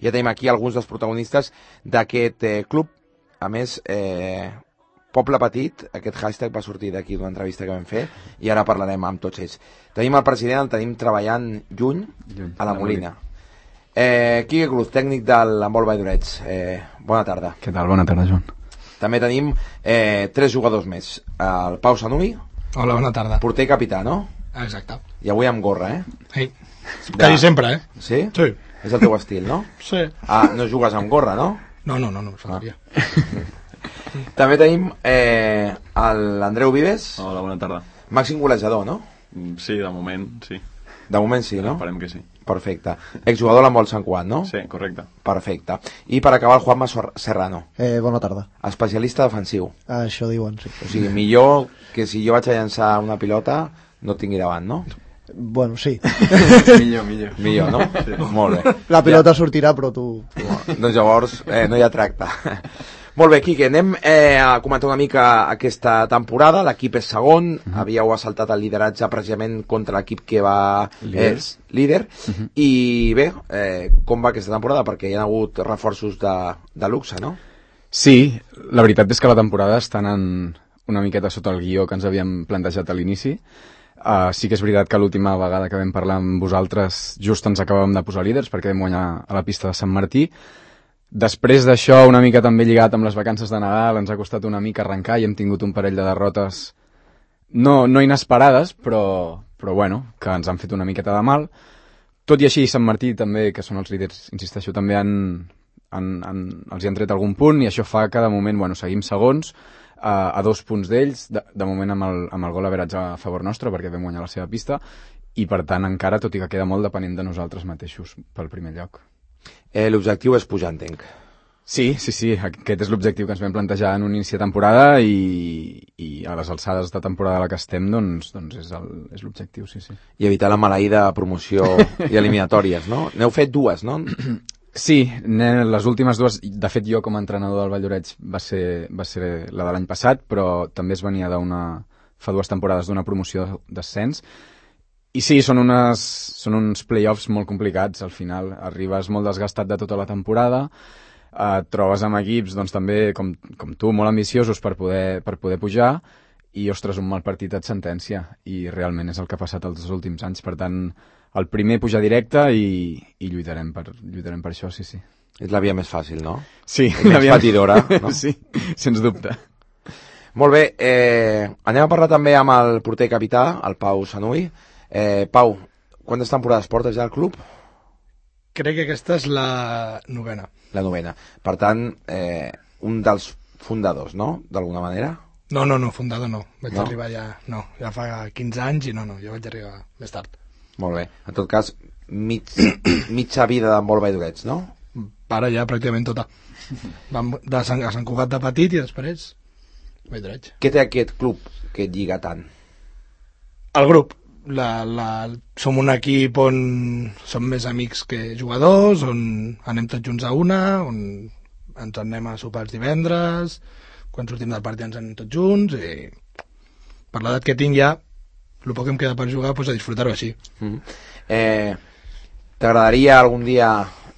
Ja tenim aquí alguns dels protagonistes d'aquest club. A més, Poble Petit, aquest hashtag va sortir d'aquí d'una entrevista que vam fer i ara parlarem amb tots ells. Tenim el president, el tenim treballant lluny a la Molina. Quique Cruz, tècnic de l'handbol Valldoreix. Bona tarda. Què tal? Bona tarda, Joan. També tenim 3 jugadors més. El Pau Sanui. Hola, bona tarda. Porter i capità, no? Exacte. I avui amb gorra, Sí. Quasi sempre, Sí? Sí. És el teu estil, no? Sí. Ah, no jugues amb gorra, no? No, faltaria. També tenim l'Andreu Vives. Hola, bona tarda. Màxim golejador, no? Sí, de moment, sí. De moment sí, no? Esperem que sí. Perfecte. Exjugador a l'handbol Sant Cugat, no? Sí, correcte. Perfecte. I per acabar, el Juanma Serrano. Bona tarda. Especialista defensiu. Això diuen, sí. O sigui, millor que si jo vaig a llançar una pilota no tingui davant, no? Bueno, sí. Millor, no? Sí. Molt bé. La pilota sortirà, però tu... Doncs llavors no hi ha tracte. Molt bé, Quique, anem a comentar una mica aquesta temporada. L'equip és segon, havíeu assaltat el lideratge precisament contra l'equip que va líder. I bé, com va aquesta temporada? Perquè hi ha hagut reforços de luxe, no? Sí, la veritat és que la temporada està anant una miqueta sota el guió que ens havíem plantejat a l'inici. Sí que és veritat que l'última vegada que vam parlar amb vosaltres just ens acabàvem de posar líders perquè vam guanyar a la pista de Sant Martí. Després d'això, una mica també lligat amb les vacances de Nadal, ens ha costat una mica arrencar i hem tingut un parell de derrotes no inesperades, però bueno, que ens han fet una miqueta de mal. Tot i així, Sant Martí també, que són els líders, insisteixo, també els hi han tret algun punt i això fa que de moment, bueno, seguim segons a 2 punts d'ells, de moment amb el gol average a favor nostre perquè vam guanyar la seva pista i per tant encara, tot i que queda molt depenent de nosaltres mateixos pel primer lloc. L'objectiu és pujar, entenc. Sí, aquest és l'objectiu que ens vam plantejar en un inici de temporada i a les alçades de temporada a la que estem doncs és l'objectiu, sí. I evitar la maleïda promoció i eliminatòries, no? N'heu fet 2, no? Sí, les últimes 2, de fet jo com a entrenador del Valldoreix va ser la de l'any passat, però també es venia fa 2 temporades d'una promoció d'ascens. I sí, són uns play-offs molt complicats, al final. Arribes molt desgastat de tota la temporada, et trobes amb equips doncs, també com tu, molt ambiciosos per poder pujar, i, ostres, un mal partit et sentència, i realment és el que ha passat els últims anys. Per tant, el primer pujar directe i lluitarem per això, sí. És la via més fàcil, no? Sí. La més patidora, no? Sí, sens dubte. Molt bé, anem a parlar també amb el porter capità, el Pau Sanui. Pau, quantes temporades portes ja al club? Crec que aquesta és la 9ª. La 9ª. Per tant, un dels fundadors, no? D'alguna manera? No, fundador no. Vaig arribar ja fa 15 anys i jo vaig arribar més tard. Molt bé. En tot cas, mitja vida d'handbol Valldoreix, no? Para ja pràcticament tota. Vam a Sant Cugat de petit i després Valldoreix. Què té aquest club que et lliga tant? El grup. Som un equip on som més amics que jugadors, on anem tots junts a una, on ens anem a sopar els divendres, quan sortim del partit ens anem tots junts i per l'edat que tinc ja el poc que em queda per jugar, doncs a disfrutar-ho així. T'agradaria algun dia,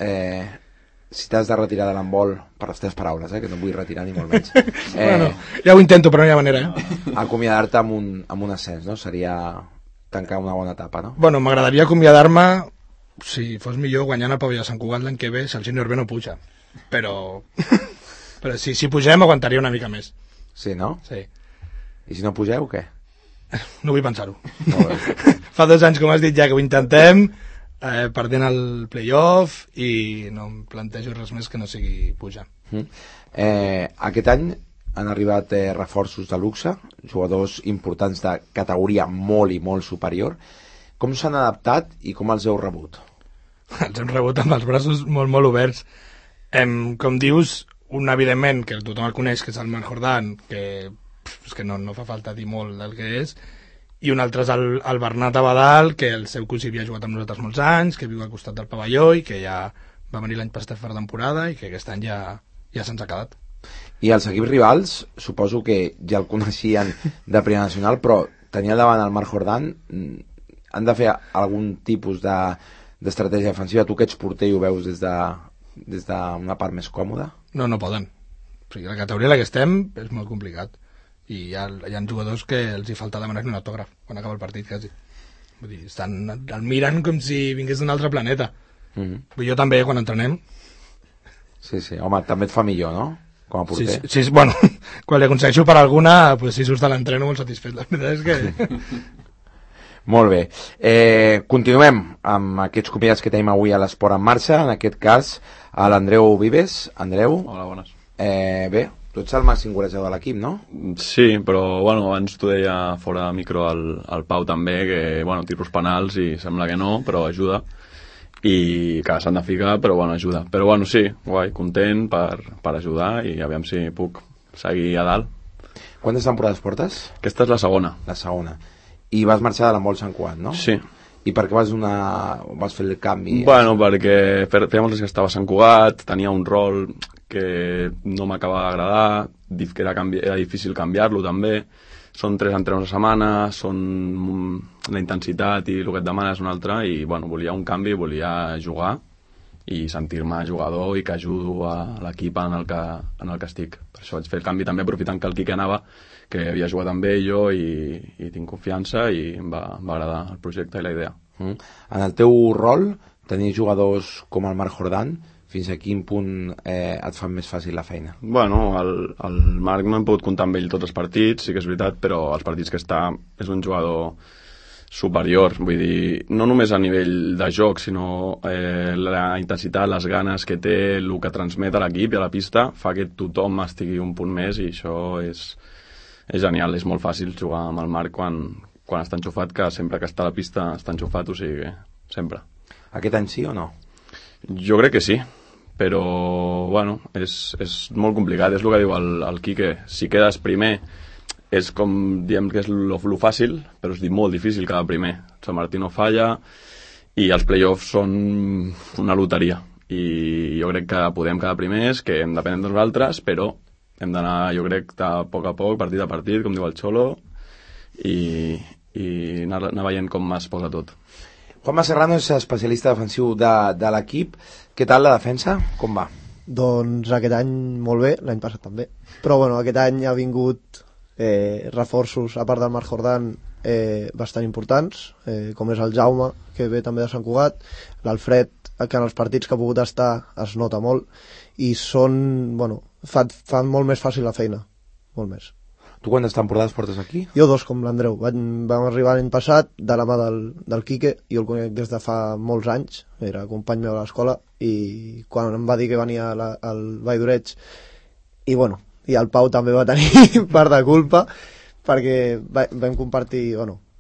si t'has de retirar de l'handbol, per les teves paraules, que no em vull retirar ni molt menys, bueno, ja ho intento però no hi ha manera, acomiadar-te amb un ascens, no? Seria tancar una bona etapa, no? Bueno, m'agradaria acomiadar-me si fos millor guanyant el pavelló de Sant Cugat l'any que ve si el sènior B no puja, però si pugem aguantaria una mica més. Sí, no? Sí. I si no pugeu, què? No vull pensar-ho. Fa 2 anys, com has dit ja, que ho intentem, perdent el play-off i no em plantejo res més que no sigui pujar. Aquest any han arribat reforços de luxe, jugadors importants de categoria molt i molt superior. Com s'han adaptat i com els heu rebut? Els hem rebut amb els braços molt, molt oberts. Com dius, un evidentment que tothom el coneix, que és el Marc Jordan, que no fa falta dir molt del que és, i un altre és el Bernat Abadal, que el seu cosí havia jugat amb nosaltres molts anys, que viu al costat del pavelló i que ja va venir l'any passat a fer temporada i que aquest any ja se'ns ha quedat. I els equips rivals, suposo que ja el coneixien de Primera Nacional, però tenia davant el Marc Jordan, han de fer algun tipus d'estratègia defensiva? Tu que ets porter i ho veus des des d'una part més còmoda? No poden. O sigui, la categoria en la que estem és molt complicat. I hi ha jugadors que els hi falta demanar un autògraf quan acaba el partit, quasi. Vull dir, el miren com si vingués d'un altre planeta. Jo també, quan entrenem. Sí, home, també et fa millor, no? Com a porter. Sí, bueno, quan li aconsegueixo per alguna, pues, si surts de l'entreno molt satisfet. La veritat és que... Molt bé. Continuem amb aquests convidats que tenim avui a l'Esport en Marxa, en aquest cas a l'Andreu Vives. Andreu. Hola, bones. Bé, tu ets el màxim golejador de l'equip, no? Sí, però bueno, abans t'ho deia fora de micro al Pau també, que bueno, tiros penals i sembla que no, però ajuda. I que s'han de ficar, però bueno, ajuda. Però bueno, sí, guai, content per ajudar i aviam si puc seguir a dalt. Quantes temporades portes? Aquesta és la segona. La segona. I vas marxar de l'handbol Sant Cugat, no? Sí. I per què vas fer el canvi? Bueno, perquè feia molts anys que estava a Sant Cugat, tenia un rol que no m'acabava d'agradar, que era difícil canviar-lo també. Són 3 entrenaments a setmana, la intensitat i el que et demana és un altre, i bueno, volia un canvi, volia jugar i sentir-me jugador i que ajudo a l'equip en el que estic. Per això vaig fer el canvi també aprofitant que el Quique anava, que havia jugat amb ell jo i tinc confiança i em va agradar el projecte i la idea. En el teu rol, tenir jugadors com el Marc Jordan, fins a quin punt et fan més fàcil la feina? Bueno, el Marc no hem pogut comptar amb ell tots els partits, sí que és veritat, però els partits que està és un jugador superior, vull dir, no només a nivell de joc, sinó la intensitat, les ganes que té, el que transmet a l'equip i a la pista, fa que tothom estigui un punt més, i això és genial, és molt fàcil jugar amb el Marc quan està enxufat, que sempre que està a la pista està enxufat, o sigui, sempre. Aquest any sí o no? Jo crec que sí, però bueno, és molt complicat, és el que diu el Quique, si quedes primer és com diem que és lo fàcil, però és molt difícil quedar primer. Sant Martí no falla i els play-offs són una loteria, i jo crec que podem quedar primers, que hem depèn de nosaltres, però hem d'anar, jo crec, a poc, partit a partit, com diu el Xolo, i anar veient com es posa tot. Juanma Serrano és especialista defensiu de l'equip. Què tal la defensa? Com va? Doncs aquest any molt bé, l'any passat també. Però bueno, aquest any ha vingut reforços, a part del Marc Jordan, bastant importants, com és el Jaume, que ve també de Sant Cugat, l'Alfred, que en els partits que ha pogut estar es nota molt, i fan molt més fàcil la feina, molt més. Tu quantes temporades portes aquí? Jo 2, com l'Andreu. Vam arribar l'any passat de la mà del Quique, jo el conec des de fa molts anys, era company meu a l'escola, i quan em va dir que venia al Vall d'Oreig, i bueno, i el Pau també va tenir part de culpa, perquè vam compartir,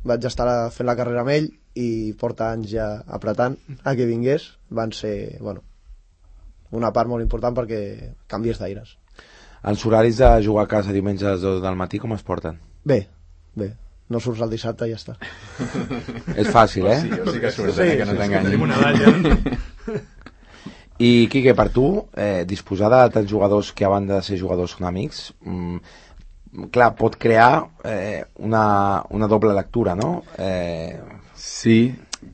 vaig estar fent la carrera amb ell, i porta anys ja apretant a que vingués. Van ser, una part molt important perquè canvies d'aires. Els horaris de jugar a casa diumenge a les 2 del matí com es porten? Bé. No surts el dissabte i ja està. És fàcil, eh? Sí que surts, que no t'enganyin. I, Quique, per tu, disposar de tants jugadors que a banda de ser jugadors són amics, clar, pot crear una doble lectura, no? Sí,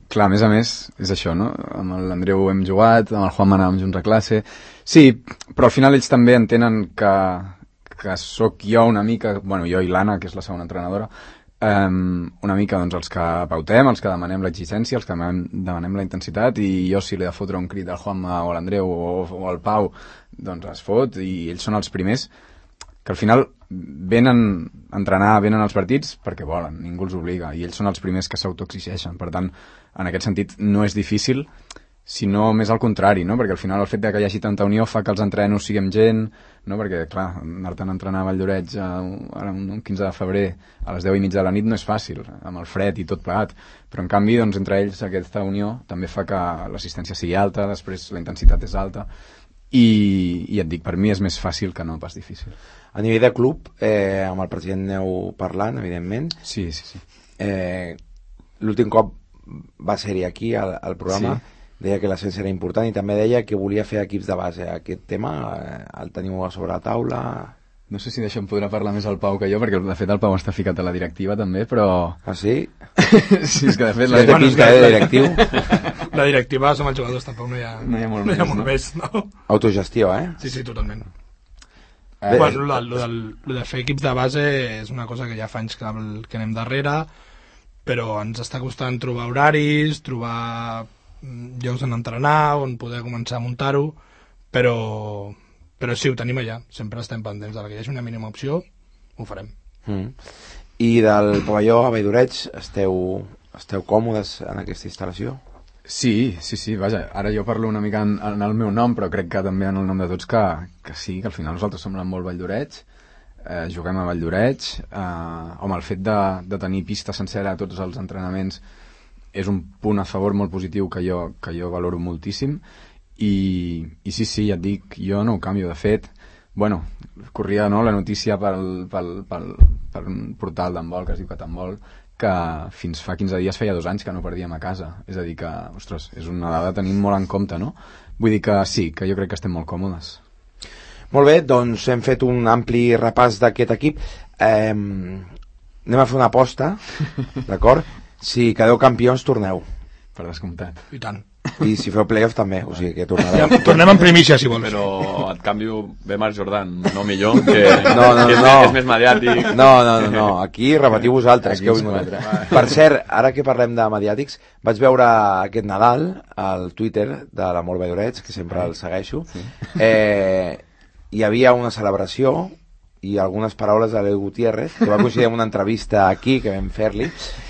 clar, a més, és això, no? Amb l'Andreu hem jugat, amb el Juanma anàvem junts a classe. Sí, però al final ells també entenen que sóc jo una mica, jo i l'Anna, que és la segona entrenadora, una mica doncs, els que pautem, els que demanem l'exigència, els que demanem la intensitat, i jo si li he de fotre un crit al Juanma o a l'Andreu o al Pau, doncs es fot, i ells són els primers que al final venen a entrenar, venen als partits perquè volen, ningú els obliga, i ells són els primers que s'autoexigeixen. Per tant, en aquest sentit no és difícil, sinó més al contrari, no? Perquè al final el fet que hi hagi tanta unió fa que els entrenos siguem gent, no? Perquè clar, anar-te'n a entrenar a Vall d'Oreig ara un 15 de febrer a les 10:30 de la nit no és fàcil, amb el fred i tot plegat, però en canvi doncs, entre ells aquesta unió també fa que l'assistència sigui alta, després la intensitat és alta, i et dic, per mi és més fàcil que no pas difícil. A nivell de club, amb el president aneu parlant, evidentment. Sí. L'últim cop va ser-hi aquí al programa, deia que l'ascens era important i també deia que volia fer equips de base. Aquest tema el teniu sobre la taula? No sé si d'això em podrà parlar més el Pau que jo, perquè de fet el Pau està ficat a la directiva també, però... Ah, sí? Sí, és que de fet... Sí, té pinta de directiu. la directiva som els jugadors, tampoc no hi ha molt més, no? Autogestió, Sí, totalment. Bueno, lo de fer equips de base és una cosa que ja fa anys que anem darrere, però ens està costant trobar horaris, trobar llocs on entrenar, on poder començar a muntar-ho, però sí, ho tenim allà, sempre estem pendents de que hi hagi una mínima opció, ho farem. I del pavelló a Valldoreig esteu còmodes en aquesta instal·lació? Sí, vaja, ara jo parlo una mica en el meu nom, però crec que també en el nom de tots que sí, que al final nosaltres som molt Valldoreig, juguem a Valldoreig, home, el fet de tenir pista sencera a tots els entrenaments és un punt a favor molt positiu que jo valoro moltíssim, i sí, ja et dic, jo no ho canvio. De fet, bueno, corria la notícia pel portal d'handbol que es diu Cathandbol, que fins fa 15 dies feia 2 anys que no perdíem a casa. És a dir que, ostres, és una dada a tenir molt en compte, no? Vull dir que sí, que jo crec que estem molt còmodes. Molt bé, doncs hem fet un ampli repàs d'aquest equip. Anem a fer una aposta, d'acord? Si quedeu campions, torneu. Per descomptat. I tant. I si feu playoff també, o sigui que tornareu. Tornem en primícia, si vols. Però et canvio bé Marc Jordan, no millor, que no. és més mediàtic. No, aquí repetiu vosaltres. Aquí per cert, ara que parlem de mediàtics, vaig veure aquest Nadal al Twitter de l'Amor Valldoreig, que sempre el segueixo. Hi havia una celebració i algunes paraules de l'El Gutiérrez, que va coincidir amb una entrevista aquí que vam fer-li,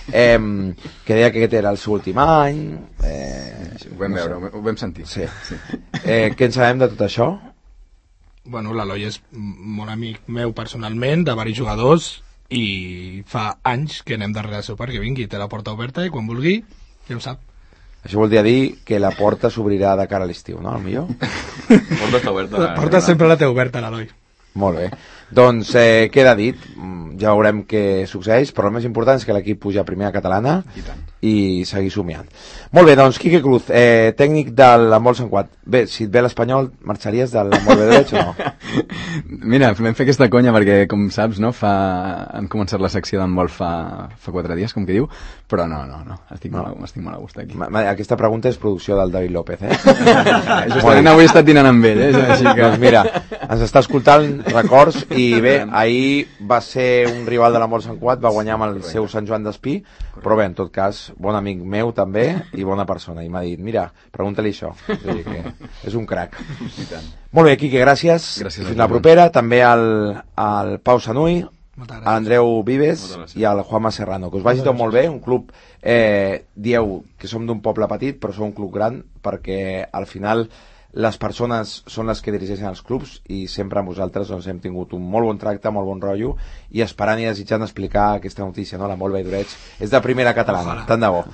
que deia que aquest era el seu últim any. Ho vam veure, ho vam sentir. Sí. Què en sabem de tot això? Bueno, l'Eloi és molt amic meu personalment, de varis jugadors, i fa anys que anem darrere seu perquè vingui, té la porta oberta i quan vulgui ja ho sap. Això vol dir que la porta s'obrirà de cara a l'estiu, no? Potser? La porta està oberta. La porta sempre la té oberta, l'Eloi. Molt bé. Doncs queda dit, ja veurem què succeeix, però el més important és que l'equip puja a primera catalana i seguir somiant. Molt bé, doncs Quique Cruz, tècnic de l'handbol Sant Cugat. Bé, si et ve l'Espanyol, marxaries de l'handbol Valldoreig o no? Mira, vam fer aquesta conya perquè, com saps, no, hem començat la secció d'handbol fa 4 dies, com que diu, però no, estic molt a gust aquí. Aquesta pregunta és producció del David López, Justament avui he estat dinant amb ell, així que... Doncs mira, ens està escoltant, records, i bé, ahir va ser un rival de l'handbol Sant Cugat, va guanyar amb el seu Sant Joan d'Espí, però bé, en tot cas, bon amic meu també i bona persona, i m'ha dit, mira, pregunta-li això. És a dir, que és un crac. Molt bé, Quique, gràcies. Fins la propera. També al Pau Sanui, a l'Andreu Vives i al Juanma Serrano. Que us vagi tot molt bé. Un club, dieu que som d'un poble petit, però som un club gran, perquè al final les persones són les que dirigeixen els clubs i sempre amb vosaltres doncs, hem tingut un molt bon tracte, molt bon rotllo, i esperant i desitjant explicar aquesta notícia, no? L'handbol Valldoreig és de primera catalana. Tant de bo.